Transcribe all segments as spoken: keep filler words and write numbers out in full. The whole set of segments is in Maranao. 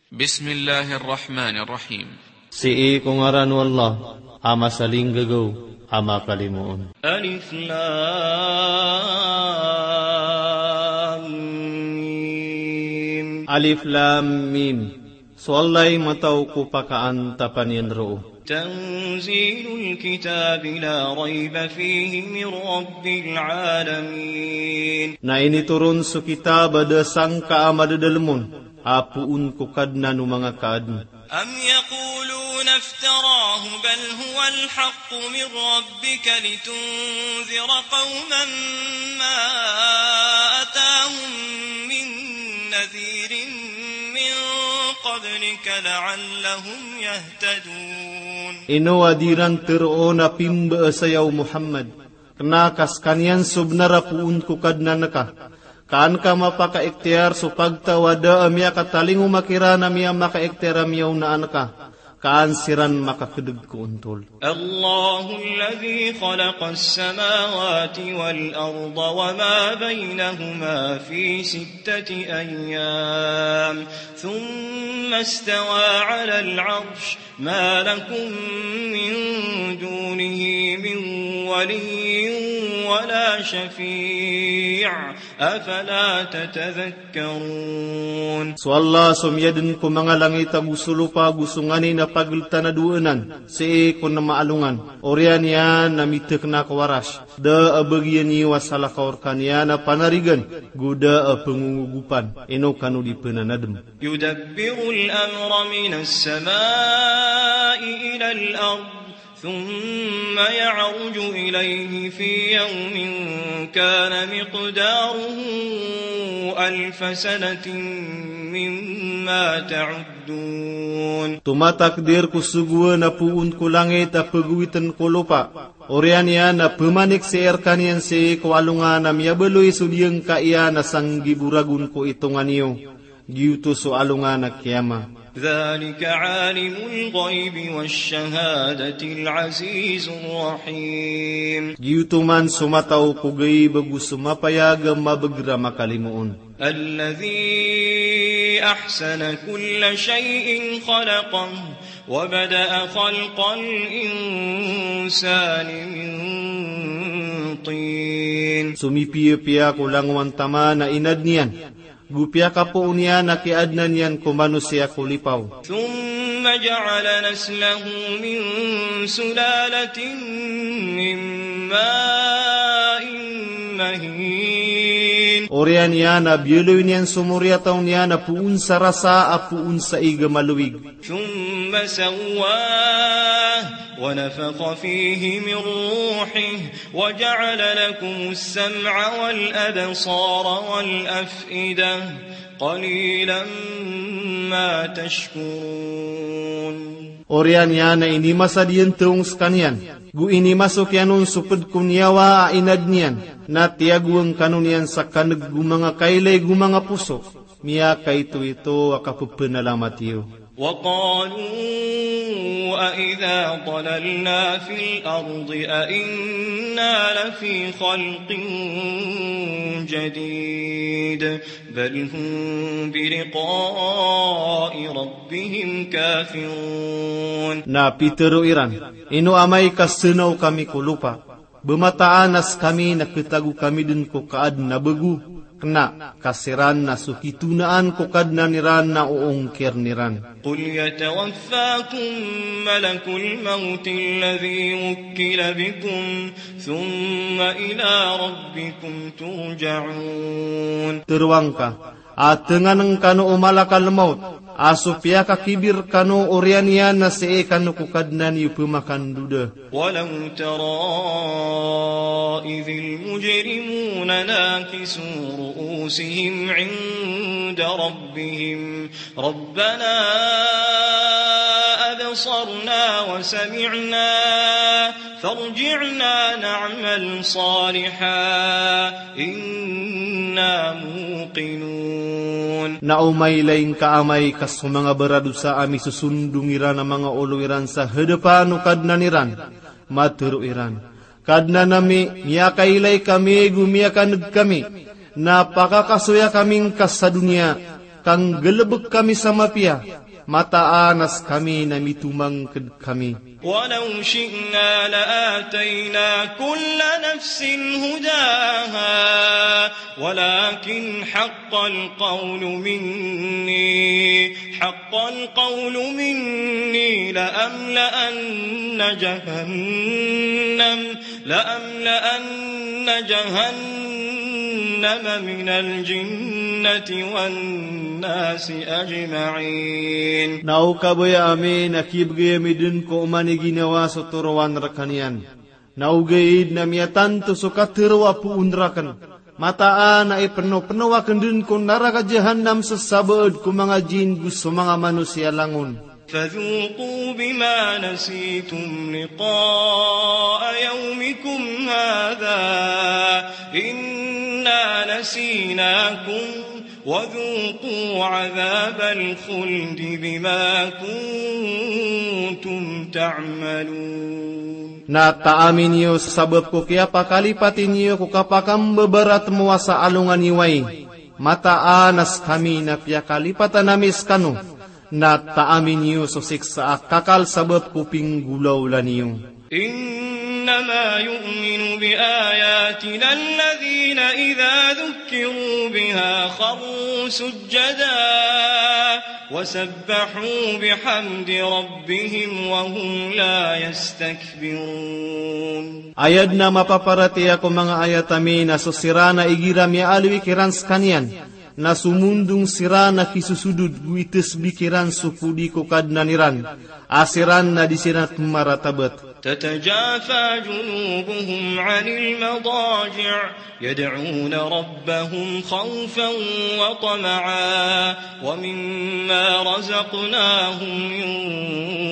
Bismillahir Rahmanir Rahim. Sii ko ngaran o Allah, a masalinggagaw, a makalimoon. Alif Lam Mim. Alif Lam Mim. So Allah i matao ko pakaantapan iyan roo. Tanzilul kitabi la rayba fihi min rabbil alamin. Na initoron so kitab a da sangka a madadalem on, a poon ko Kadnan o manga kaadn. Am yaquluna iftarahu bal huwal haqqu min rabbika litunzira qawman ma atahum min nadhirin min qablika la'allahum yahtadun. Ino a di ran teroon a pimbaasa ya o Muhammad, kena ka sekaniyan so benar a poon ko Kadnan ka. Ka an ka mapakaikhtiyar so pagtaw a da a miyakatalingoma kiran a miyamakaikhtiyar a miyaonaan ka. Ka an siran makakedeg ko ontol. Allahu alladhi khalaqas samawati wal arda wa ma baynahuma fi sittati ayyam, thumma istawa alal arsh, ma lakum min dunihi min waliyyin wa la shafi', afala tatadhakkarun. So Allah so miyadn ko manga langit ago so lopa ago so nganin a pageltan a dowa anan, sii ko nema a alongan. Oriyan iyan a mitekena ko Arash. Da a bagian iyo a salakaw rekaniyan a panarigan, go da a pengongogopan, ino kano di penanadem. Yudabbirul amra minas samai ilal ard, thumma ya'ruju ilayhi fi yawmin kana miqdaruhu alfa sanatin mimma ta'uddun. Tomatakdir ko sogoan a poon ko langit a pegowiten ko lopa. Oriyan iyan a pemanik sii rekaniyan sii ko alongan a miyabaloy so diyangka iyan a sanggibo ragon ko itongan iyo. Giyoto so alongan a kiyama. Dhalika alimul ghaybi wash shahadatil azizur rahim. Giyoto man so matao ko gayb ago so mapayag a mabeger a makalimoon. Alladhi ahsana kulla shay'in khalaqah wa bada'a khalqal insani min tin. So mipiyapiya ko langowan taman a inadn iyan, go piyakapoon iyan a kiyaadnan iyan ko manosiya ko lipaw. Thumma ja'ala naslahu min sulalatin min ma'in mahin. Oriyan iyan a biyaloy niyan so moriyataw niyan a poon sa rasa a poon sa ig a malowig. Thumma sawwah wa nafakha fihi min ruhih wa ja'ala lakumus sam'a wal absara wal af'idah, qalilan ma tashkurun. Oriyan iyan a inimasad iyan tong sekaniyan, go inimasok iyan on so ped ko niyawa a inadn iyan, na tiyagoan kano niyan sa kaneg go manga kailay go manga poso. Miyakaitoito a kapepenalamat iyo. Wa qalu a idha dalalna fil ardi a inna lafi khalqin jadid, bal hum bi liqa'i rabbihim kafirun. Na pitero iran, ino amay ka senaw kami ko lopa, bemataan a sekami na ketago kami den ko kaadn a bego, kena ka siran na so kitonaan ko Kadnan iran na oongkirn iran. Qul yatawaffakum malakul mawti alladhi wukkila bikum, thumma ila rabbikum turja'un. Tero angka, a tenganen kano o malakal mawt, a so piyakakibir kano oriyan iyan na sii kano ko Kadnan iyo pemakandoda. Walaw tara idhil mujrimuna nakisu ru'usihim inda rabbihim, rabbana absarna wa sami'na, farji'na na'mal salihan inna muqinun. Na o mailay ngka amay ka so manga baradosa a misosondong iran a manga olo iran sa hadapan o Kadnan iran, matero iran, Kadnan ami, miyakailay kami go miyakaneg kami, na pakakasoya kami ngka sa doniya, Ka nggalbk kami sa mapiya, mataan a skami na mitomangkd kami. ولو شئنا لآتينا كل نفس هداها ولكن حق القول مني، حق القول مني لأملأن جهنم، لأملأن جهنم من الجنة والناس أجمعين. Na o kabaya ami na kibgay ami dn ko oman i ginawa so torowan rkaniyan. Na ogaid na miyatanto so katharo a poon rakn. Mataan a ipnopno akn dn ko naraka Jahannam so sabaad ko manga jinn go so manga manosiya langon. فذوقوا بما نسيتم لقاء يومكم هذا إنا نسيناكم وذوقوا عذاب الخلد بما كنتم تعملون. Na taami niyo sa sabap ko kiyapakalipati niyo ko kapakambabaratmowa sa alongan i wai. Mataan a skami na piyakalipatan ami skano. Na taami niyo so siksa a kakal sabap ko pinggolawla niyo. إنما يؤمن بآياتنا الذين إذا ذكروا بها خروا سجدا وسبحوا بحمد ربهم وهم لا يستكبرون. Aya dn a mapaparatiyaya ko manga ayat ami na so siran a igira miyaaloy kiran skaniyan, na somondong siran a kisosodod go itasbih kiran so podi ko Kadnan iran, a siran na di siran pmaratabat. تتجافى جنوبهم عن المضاجع يدعون ربهم خوفا وطمعا ومما رزقناهم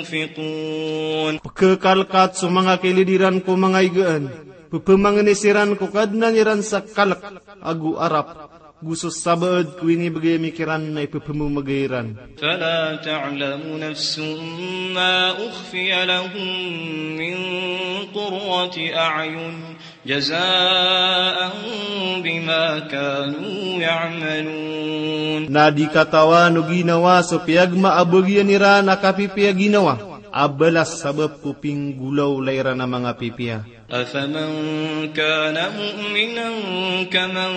ينفقون. Pkhakalkat so manga kilid iran ko manga igaan, pphamangni siran ko Kadnan iran sa kalk ago arap, go so sabaad ko inibgay ami kiran na ipphmamgay iran. فلا تعلم نفس ما أخفي لهم من قرة أعين جزاء بما كانوا يعملون. Na di katawan o ginawa so piyagmaabag iyan iran a kapipiya ginawa a balas sabap ko pinggolawla iran a manga pipiya. أفمن كان مؤمنا كمن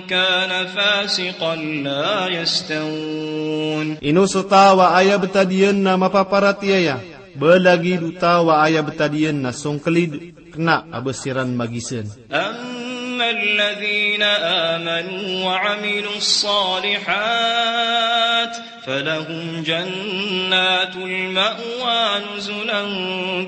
كان فاسقا لا يستوون. Ino so taw a aya btad iyan na mapaparatiyaya, ba lagid o taw a aya btad iyan na songklid, kna a ba siran magisan. أما الذين آمنوا وعملوا الصالحات فلهم جنات المأوى نزلا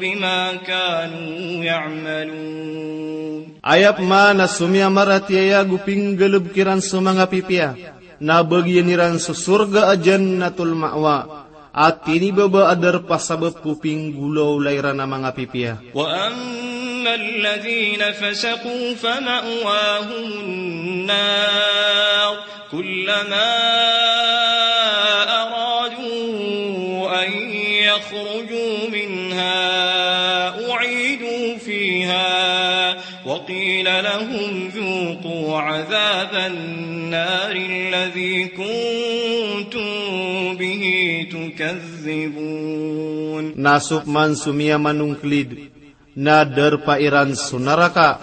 بما كانوا يعملون. Aya pman a so miyamaratiyaya go pinggalbk iran so manga pipiya, na bagian iran so sorga a Jannatul Ma'wa, a tinibaba a darpa sabap ko pinggolawla iran a manga pipiya. وأما الذين فسقوا فمأواهم النار كلما أرادوا أن يخرجوا منها أعيدوا فيها وقيل لهم ذوقوا عذاب النار الذي كنتم به تكذبون. Na so pman so miyamanongklid, na darpa iran so naraka,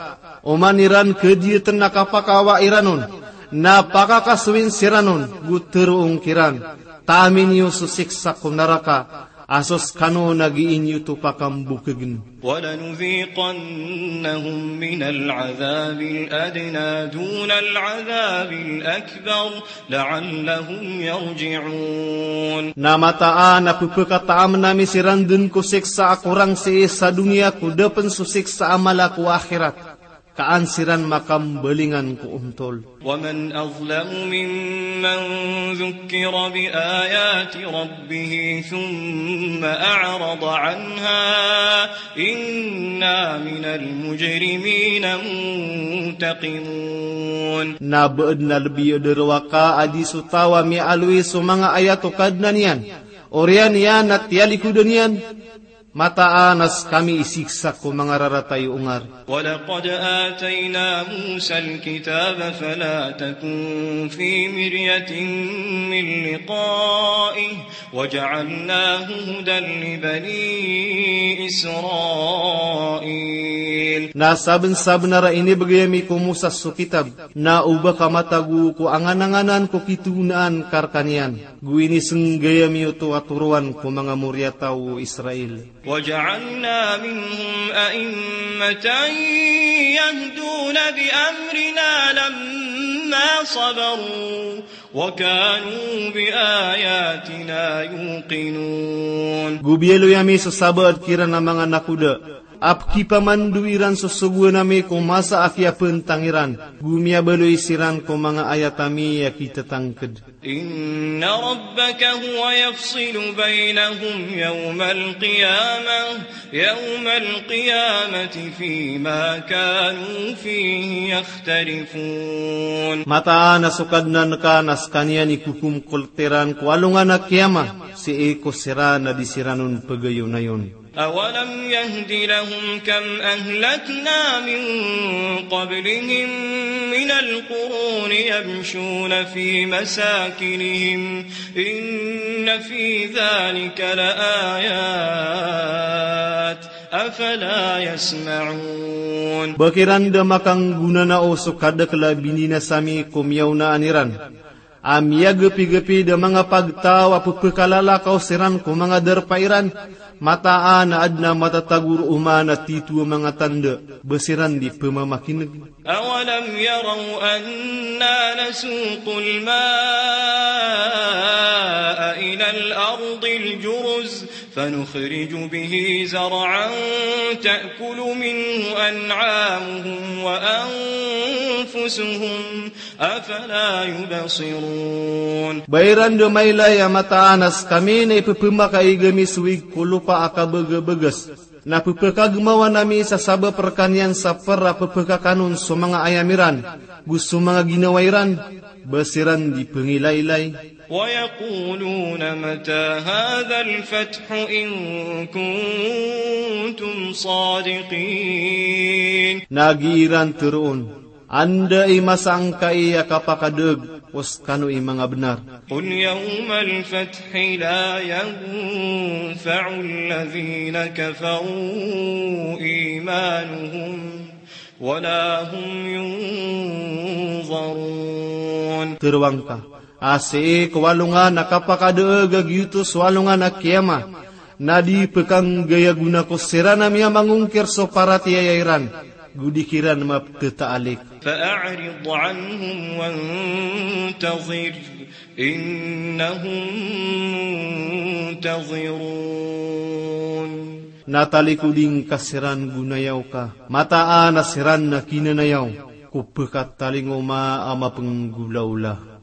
oman iran kadiyatn a kapakawa iran on, na pakakasowin siran on, go tharoon kiran, taami niyo so siksa ko naraka, a so skano na gii niyo oto pakambokagn. ولنذيقنهم من العذاب الأدنى دون العذاب الأكبر لعلهم يرجعون. Na mataan a pphakataamn ami siran dn ko siksa a korang sii sa doniya ko da pn so siksa a mala ko akhirat, ka an siran makambalingan ko ontol. ومن أظلم ممن ذكر بآيات ربه ثم أعرض عنها إنا من المجرمين منتقمون. Na ba adn a lbi a darowaka a di so taw a miyaaloy so manga ayat o Kadnan iyan, oriyan iyan na tiyalikodan iyan, Mataan a skami isiksa ko manga raratay o ongar. ولقد آتينا موسى الكتاب فلا تكن في مرية من لقائه وجعلناه هدى لبني إسرائيل. Na sabnsabnar a inibgay ami ko Musa so kitab, na oba ka matago ko angananganan ko kitoonaan ka rkaniyan, go inisnggay ami oto a toroan ko manga moriyataw o Israel. وجعلنا منهم أئمة يهدون بأمرنا لما صبروا وكانوا بآياتنا يوقنون. Go biyaloy ami so sabaad kiran a manga nakoda, a pkipamandowi ran so sogoan ami ko masa a kiyapntang iran, go miyabaloy siran ko manga ayat ami a kitatangkd. إن ربك هو يفصل بينهم يوم القيامة، يوم القيامة فيما كانوا فيه يختلفون. Mataan a so Kadnan ka na skaniyan i kokomkolt iran ko alongan a kiyama, sii ko siran a di siran on pagayonayon. أولم يهد لهم كم أهلكنا من قبلهم من القرون يمشون في مساكنهم إن في ذلك لآيات أفلا يسمعون. Ba kiran da makanggonanao so kadakl a bininasa mi ko miyaonaan iran, a miyagpigpid a manga pagtaw a pphakalalakaw siran ko manga darpa iran, mataan a adn a matatago roo man a titho a manga tanda, ba siran di pmamakineg. أولم يروا أنا نسوق الماء إلى الأرض الجرز فنخرج به زرعا تأكل منه أنعامهم وأنفسهم أفلا يبصرون. Ba iran da mailay a mataan a skami na ipphamakaig ami so wig ko lopa a kabagabagas, na pphakagmawan ami sa sabap rkaniyan sa pr a pphakakanon so manga ayam iran, go so manga ginawa iran, ba siran di pngilaylay. ويقولون متى هذا الفتح إن كنتم صادقين. Na giiran tharoon, anda i masa angkai a kapakadaag o skano i manga bnar? قل يوم الفتح لا ينفع الذين كفروا إيمانهم ولا هم ينظرون. Tharoang ka, a sii ko alongan a kapakadaag a giyoto so alongan a kiyama, na di pkanggayagona ko siran a miyamangongkir so paratiyaya iran, go di kiran mapthataalik. فأعرض عنهم وانتظر إنهم منتظرون. Na talikodi ngka siran go nayaw ka, mataan a siran na kinanayaw ko pkatalingoma a mapnggolaola.